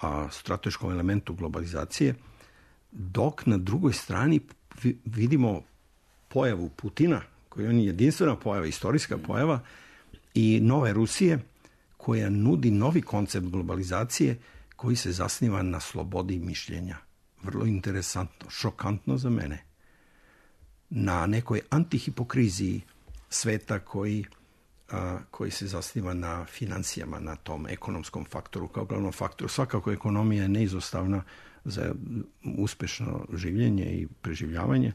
a, strateškom elementu globalizacije, dok na drugoj strani vidimo pojavu Putina, koja je jedinstvena pojava, istorijska pojava, i nove Rusije, koja nudi novi koncept globalizacije koji se zasniva na slobodi mišljenja. Vrlo interesantno, šokantno za mene. Na nekoj antihipokriziji sveta koji, a, koji se zasniva na financijama, na tom ekonomskom faktoru kao glavnom faktoru. Svakako ekonomija je neizostavna za uspešno življenje i preživljavanje,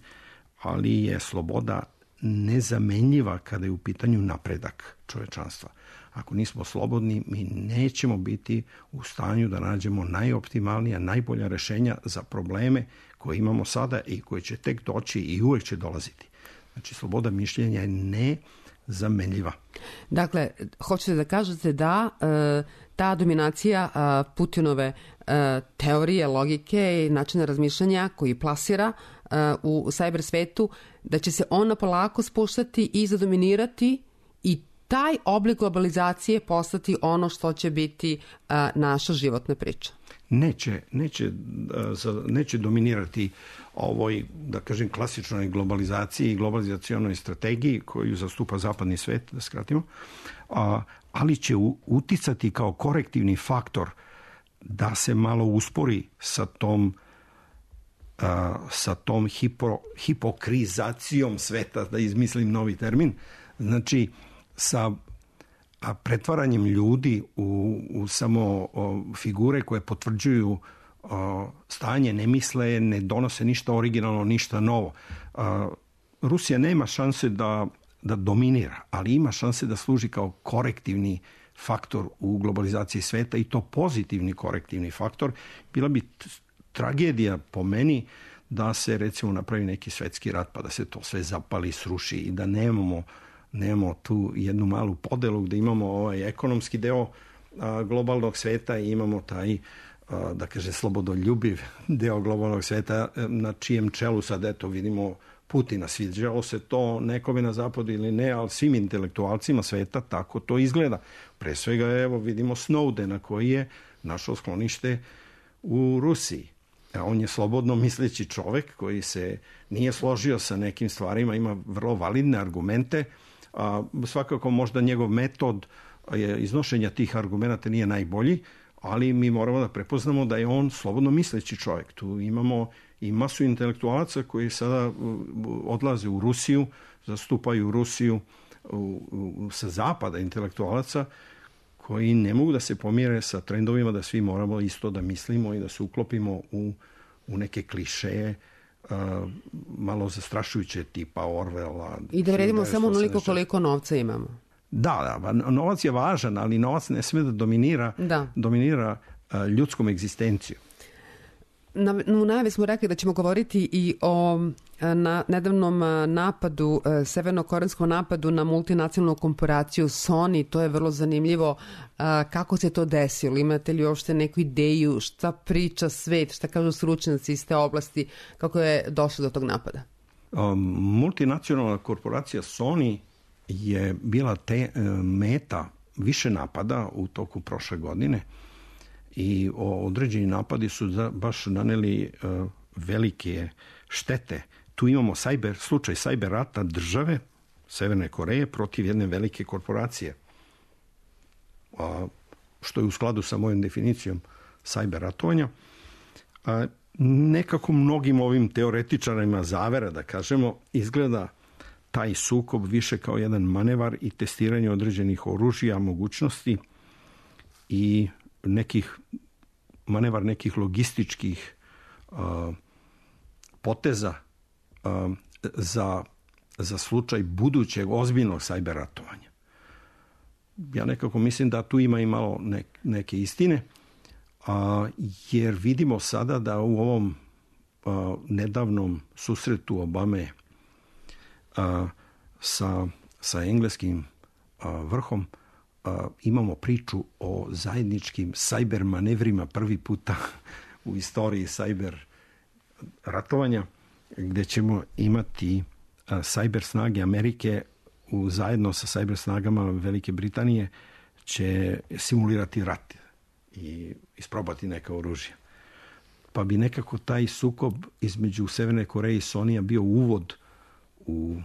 ali je sloboda nezamenljiva kada je u pitanju napredak čovečanstva. Ako nismo slobodni, mi nećemo biti u stanju da nađemo najoptimalnija, najbolja rešenja za probleme koje imamo sada i koje će tek doći i uvek će dolaziti. Znači, sloboda mišljenja je nezamenljiva. Dakle, hoćete da kažete da e, ta dominacija e, Putinove e, teorije, logike i načina razmišljanja koji plasira e, u cyber svetu, da će se ona polako spuštati i zadominirati i taj oblik globalizacije postati ono što će biti uh, naša životna priča? Neće, neće, neće dominirati ovoj, da kažem, klasičnoj globalizaciji i globalizacionoj strategiji koju zastupa zapadni svet, da skratimo, ali će uticati kao korektivni faktor da se malo uspori sa tom sa tom hipo, hipokrizacijom sveta, da izmislim novi termin, znači sa a pretvaranjem ljudi u, u samo o, figure koje potvrđuju o, stanje, ne misle, ne donose ništa originalno, ništa novo. A, Rusija nema šanse da, da dominira, ali ima šanse da služi kao korektivni faktor u globalizaciji sveta, i to pozitivni korektivni faktor. Bila bi tragedija po meni da se recimo napravi neki svetski rat pa da se to sve zapali, sruši i da nemamo nemamo tu jednu malu podelu gde imamo ovaj ekonomski deo a, globalnog sveta i imamo taj, a, da kaže, slobodoljubiv deo globalnog sveta na čijem čelu sad eto vidimo Putina. Sviđalo se to nekome na zapadu ili ne, ali svim intelektualcima sveta tako to izgleda. Pre svega evo vidimo Snowdena koji je našao sklonište u Rusiji. On je slobodno misleći čovek koji se nije složio sa nekim stvarima, ima vrlo validne argumente. A svakako možda njegov metod iznošenja tih argumenta nije najbolji, ali mi moramo da prepoznamo da je on slobodno misleći čovjek. Tu imamo i masu intelektualaca koji sada odlaze u Rusiju, zastupaju Rusiju u, u, sa zapada intelektualaca koji ne mogu da se pomire sa trendovima da svi moramo isto da mislimo i da se uklopimo u, u neke klišeje uh, malo zastrašujuće tipa Orwella. I da vredimo samo onoliko koliko novca imamo. Da, da, novac je važan, ali novac ne sme da dominira, da. dominira uh, ljudskom egzistenciju. Na, u najavi smo rekli da ćemo govoriti i o na, nedavnom napadu, severnokorejskom napadu na multinacionalnu korporaciju Sony. To je vrlo zanimljivo. Kako se to desilo? Imate li uopšte neku ideju šta priča svet, šta kažu stručnjaci iz te oblasti, kako je došlo do tog napada? Um, multinacionalna korporacija Sony je bila te, meta više napada u toku prošle godine. I određeni napadi su baš naneli uh, velike štete. Tu imamo cyber, slučaj cyber rata države Severne Koreje protiv jedne velike korporacije. A, što je u skladu sa mojom definicijom cyber ratovanja. A, nekako mnogim ovim teoretičarima zavera, da kažemo, izgleda taj sukob više kao jedan manevar i testiranje određenih oružja, mogućnosti i nekih manevar nekih logističkih uh, poteza uh, za, za slučaj budućeg ozbiljnog cyber ratovanja. Ja nekako mislim da tu ima i malo ne, neke istine, uh, jer vidimo sada da u ovom uh, nedavnom susretu Obame uh, sa, sa engleskim uh, vrhom Uh, imamo priču o zajedničkim cyber manevrima prvi puta u istoriji cyber ratovanja, gdje ćemo imati uh, cyber snage Amerike u, zajedno sa cyber snagama Velike Britanije će simulirati rat i isprobati neka oružja. Pa bi nekako taj sukob između Severne Koreje i Sonija bio uvod u,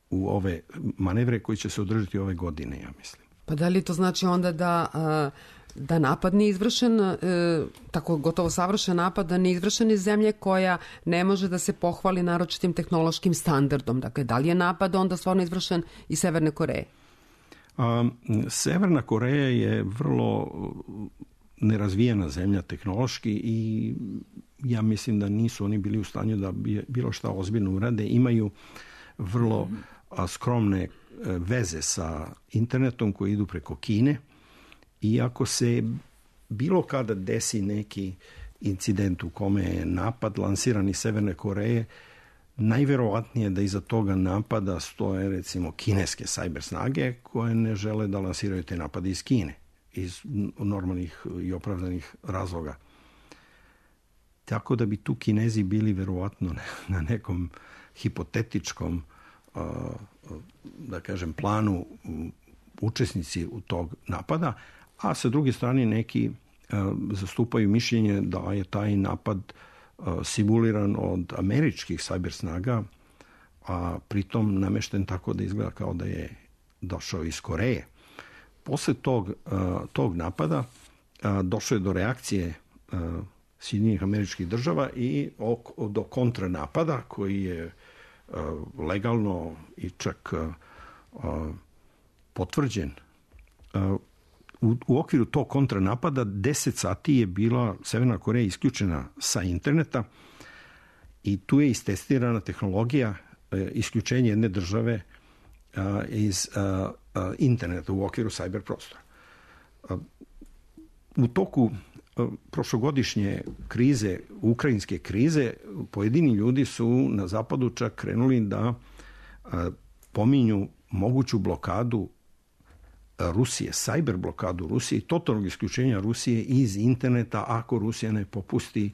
u ove manevre koji će se održati ove godine, ja mislim. Pa da li to znači onda da, da napad nije izvršen, tako gotovo savršen napad, da nije izvršen iz zemlje koja ne može da se pohvali naročitim tehnološkim standardom? Dakle, da li je napad onda stvarno izvršen iz Severne Koreje? A, Severna Koreja je vrlo nerazvijena zemlja tehnološki i ja mislim da nisu oni bili u stanju da bilo šta ozbiljno urade. Imaju vrlo a, skromne veze sa internetom koji idu preko Kine i ako se bilo kada desi neki incident u kome je napad lansiran iz Severne Koreje, najverovatnije da iza toga napada stoje recimo kineske cyber snage koje ne žele da lansiraju te napade iz Kine iz normalnih i opravdanih razloga. Tako da bi tu Kinezi bili verovatno na nekom hipotetičkom da kažem planu učesnici u tog napada, a sa druge strane neki zastupaju mišljenje da je taj napad simuliran od američkih cyber snaga, a pritom namešten tako da izgleda kao da je došao iz Koreje. Posle tog, tog napada došlo je do reakcije Sjedinjenih Američkih Država i do kontranapada koji je legalno i čak potvrđen. U, u okviru tog kontranapada deset sati je bila Severna Koreja isključena sa interneta i tu je istestirana tehnologija isključenja jedne države iz interneta u okviru cyber prostora. U toku prošlogodišnje krize, ukrajinske krize, pojedini ljudi su na zapadu čak krenuli da pominju moguću blokadu Rusije, cyber blokadu Rusije i totalnog isključenja Rusije iz interneta ako Rusija ne popusti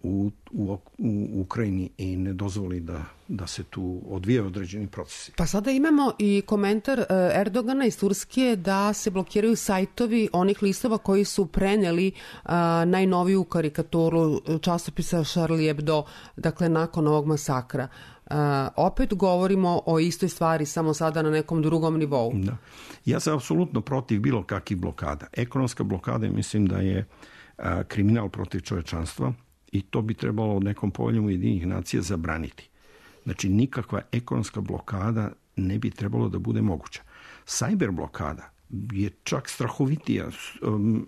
u, u, u Ukrajini i ne dozvoli da, da se tu odvije određeni procesi. Pa sada imamo i komentar Erdogana iz Turske da se blokiraju sajtovi onih listova koji su preneli a, najnoviju karikaturu časopisa Charlie Hebdo, dakle nakon ovog masakra. A, opet govorimo o istoj stvari, samo sada na nekom drugom nivou. Da. Ja sam apsolutno protiv bilo kakvih blokada. Ekonomska blokada, mislim da je a, kriminal protiv čovečanstva i to bi trebalo od nekom poveljom Ujedinjenih nacija zabraniti. Znači, nikakva ekonomska blokada ne bi trebalo da bude moguća. Cyber blokada je čak strahovitija,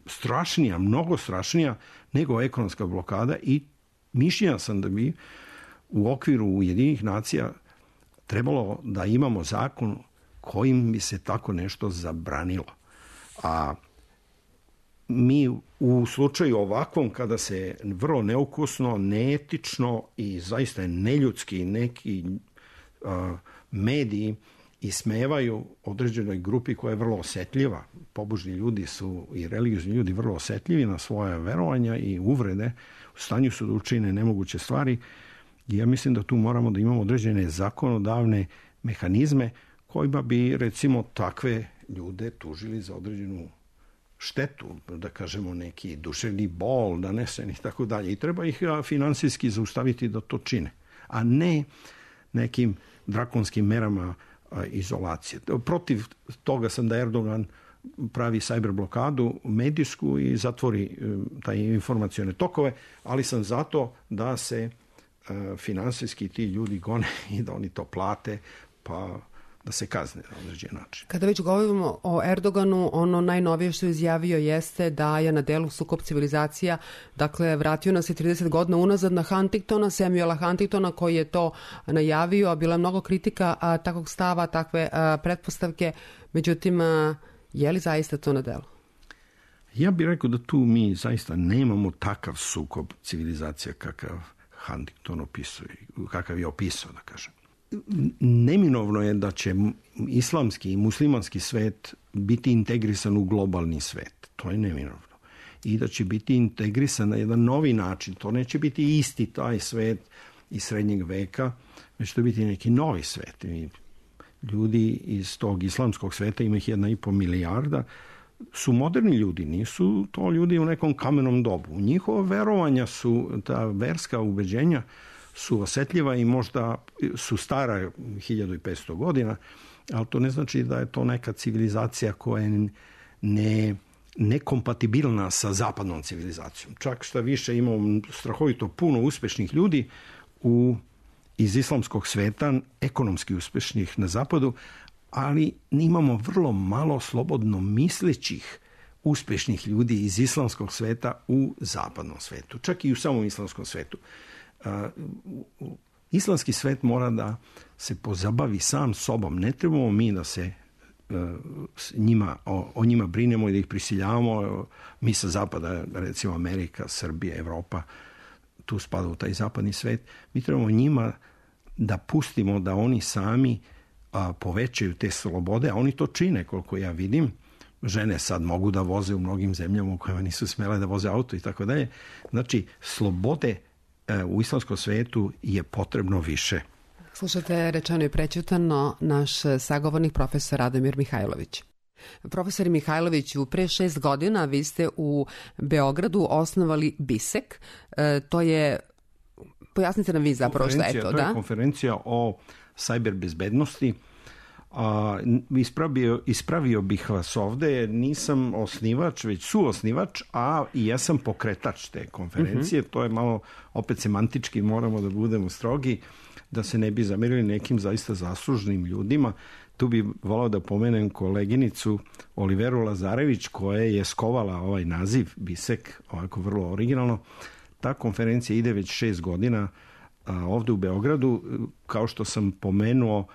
strašnija, mnogo strašnija nego ekonomska blokada i mišljenja sam da bi u okviru Ujedinjenih nacija trebalo da imamo zakon kojim bi se tako nešto zabranilo. A mi u slučaju ovakvom, kada se vrlo neukusno, neetično i zaista neljudski neki uh, mediji ismevaju određenoj grupi koja je vrlo osetljiva. Pobožni ljudi su i religiozni ljudi vrlo osetljivi na svoje verovanja i uvrede. U stanju su da učine nemoguće stvari. I ja mislim da tu moramo da imamo određene zakonodavne mehanizme kojima bi, recimo, takve ljude tužili za određenu štetu, da kažemo neki duševni bol nanesen i tako dalje. I treba ih finansijski zaustaviti da to čine, a ne nekim drakonskim merama izolacije. Protiv toga sam da Erdogan pravi cyber blokadu medijsku i zatvori taj informacione tokove, ali sam zato da se finansijski ti ljudi gone i da oni to plate, pa da se kazne na određen način. Kada već govorimo o Erdoganu, ono najnovije što je izjavio jeste da je na delu sukob civilizacija, dakle vratio nas je trideset godina unazad na Huntingtona, Samuela Huntingtona koji je to najavio, a bila je mnogo kritika a, takvog stava, takve a, pretpostavke, međutim, a, je li zaista to na delu? Ja bih rekao da tu mi zaista nemamo takav sukob civilizacija kakav Huntington opisuje, kakav je opisao, da kažem. Neminovno je da će islamski i muslimanski svet biti integrisan u globalni svet. To je neminovno. I da će biti integrisan na jedan novi način. To neće biti isti taj svet iz srednjeg veka, već to će biti neki novi svet. I ljudi iz tog islamskog sveta, ima ih jedna i po milijarda, su moderni ljudi, nisu to ljudi u nekom kamenom dobu. Njihova verovanja su, ta verska ubeđenja su osetljiva i možda su stara hiljadu i petsto godina, ali to ne znači da je to neka civilizacija koja je ne, nekompatibilna sa zapadnom civilizacijom. Čak šta više, imamo strahovito puno uspešnih ljudi u, iz islamskog sveta, ekonomski uspešnih na zapadu, ali imamo vrlo malo slobodno mislećih uspešnih ljudi iz islamskog sveta u zapadnom svetu, čak i u samom islamskom svetu. Uh, islamski svet mora da se pozabavi sam sobom. Ne trebamo mi da se uh, njima, o, o njima brinemo i da ih prisiljavamo. Mi sa zapada, recimo Amerika, Srbija, Evropa, tu spada u taj zapadni svet. Mi trebamo njima da pustimo da oni sami uh, povećaju te slobode, a oni to čine, koliko ja vidim. Žene sad mogu da voze u mnogim zemljama u kojima nisu smele da voze auto i tako dalje. Znači, slobode u islamskom svetu je potrebno više. Slušate Rečeno i prećutano, naš sagovornik profesor Radomir Mihajlović. Profesor Mihajloviću, pre šest godina vi ste u Beogradu osnovali BISEK. E, to je, pojasnite nam vi zapravo šta je to. To je da? konferencija o sajber bezbednosti. A, ispravio, ispravio bih vas ovde, nisam osnivač, već suosnivač, a i ja sam pokretač te konferencije. Uh-huh. To je malo, opet semantički, moramo da budemo strogi, da se ne bi zamerili nekim zaista zaslužnim ljudima. Tu bi volao da pomenem koleginicu Oliveru Lazarević, koja je skovala ovaj naziv BISEK, ovako vrlo originalno. Ta konferencija ide već šest godina a, ovde u Beogradu. Kao što sam pomenuo,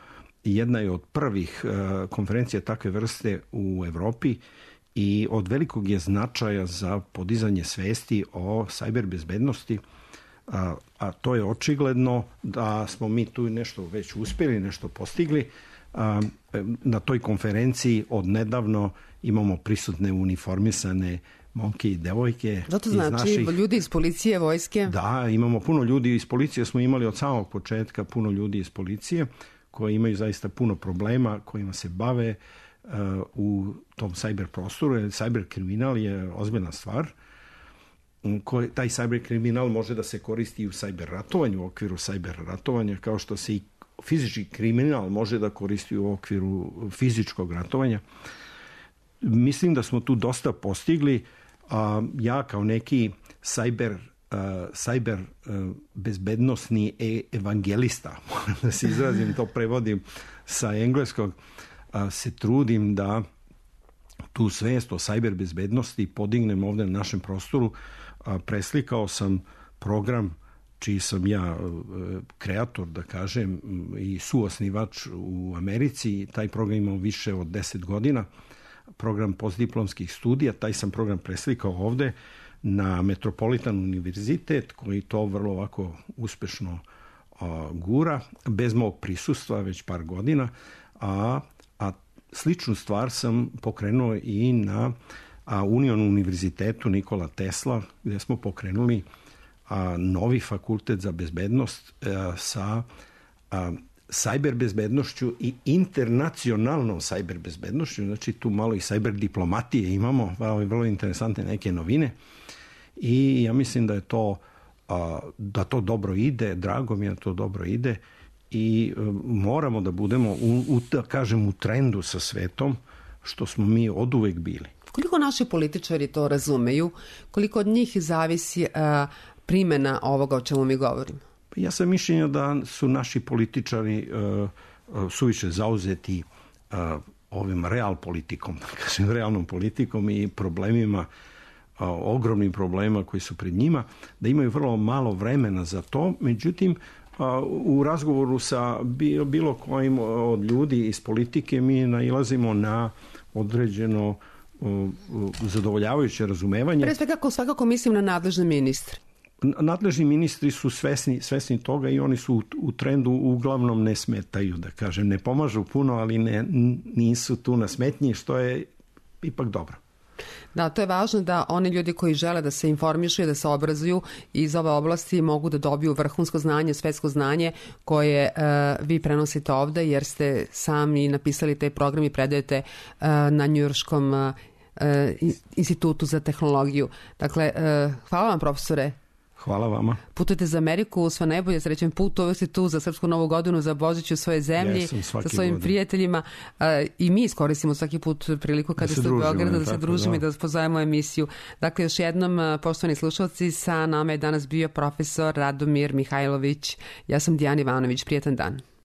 jedna je od prvih uh, konferencija takve vrste u Evropi i od velikog je značaja za podizanje svesti o sajber bezbednosti, a, a to je očigledno da smo mi tu nešto već uspjeli, nešto postigli. A, na toj konferenciji od nedavno imamo prisutne uniformisane momke i devojke. Zato iz znači naših... ljudi iz policije, vojske? Da, imamo puno ljudi iz policije, smo imali od samog početka puno ljudi iz policije koji imaju zaista puno problema, kojima se bave uh, u tom cyber prostoru. Cyber kriminal je ozbiljna stvar. Koji, taj cyber kriminal može da se koristi i u cyber ratovanju, u okviru cyber ratovanja, kao što se i fizički kriminal može da koristi u okviru fizičkog ratovanja. Mislim da smo tu dosta postigli. A ja kao neki cyber, uh, cyber uh, bezbednosni evangelista, moram da se izrazim, to prevodim sa engleskog, uh, se trudim da tu svest o cyber bezbednosti podignem ovde na našem prostoru. Uh, preslikao sam program čiji sam ja uh, kreator, da kažem, i suosnivač u Americi. Taj program imao više od deset godina. Program postdiplomskih studija, taj sam program preslikao ovde na Metropolitan univerzitet, koji to vrlo ovako uspešno a, gura, bez mog prisustva već par godina, a, a sličnu stvar sam pokrenuo i na a, Union univerzitetu Nikola Tesla, gde smo pokrenuli a, novi fakultet za bezbednost a, sa a, cyber bezbednošću i internacionalnom cyber bezbednošću, znači tu malo i cyber diplomatije imamo, vrlo interesantne neke novine i ja mislim da je to da to dobro ide, drago mi je da to dobro ide i moramo da budemo u, u, da kažem, u trendu sa svetom, što smo mi oduvek bili. Koliko naši političari to razumeju, koliko od njih zavisi a, primjena ovoga o čemu mi govorimo? Ja sam mišljenja da su naši političari uh, suviše zauzeti uh, ovim real politikom, da kažem, realnom politikom i problemima, uh, ogromnim problemima koji su pred njima, da imaju vrlo malo vremena za to. Međutim, uh, u razgovoru sa bilo kojim od ljudi iz politike mi nailazimo na određeno uh, zadovoljavajuće razumevanje. Pre svega, svakako mislim na nadležne ministre. Nadležni ministri su svesni, svesni toga i oni su u, u trendu uglavnom ne smetaju, da kažem. Ne pomažu puno, ali ne, nisu tu na smetnji, što je ipak dobro. Da, to je važno da oni ljudi koji žele da se informišu i da se obrazuju iz ove oblasti mogu da dobiju vrhunsko znanje, svetsko znanje koje uh, vi prenosite ovde, jer ste sami napisali taj program i predajete uh, na Njujorškom uh, institutu za tehnologiju. Dakle, uh, hvala vam, profesore. Hvala vama. Putujete za Ameriku, sve najbolje, srećen put, uvek ste tu za Srpsku novu godinu, za Božić u svojoj zemlji, sa svojim godin. prijateljima uh, i mi iskoristimo svaki put priliku kada ste u Beogradu da se družimo i da vas pozovemo emisiju. Dakle, još jednom, poštovani slušalci, sa nama je danas bio profesor Radomir Mihajlović. Ja sam Dijana Ivanović, prijetan dan.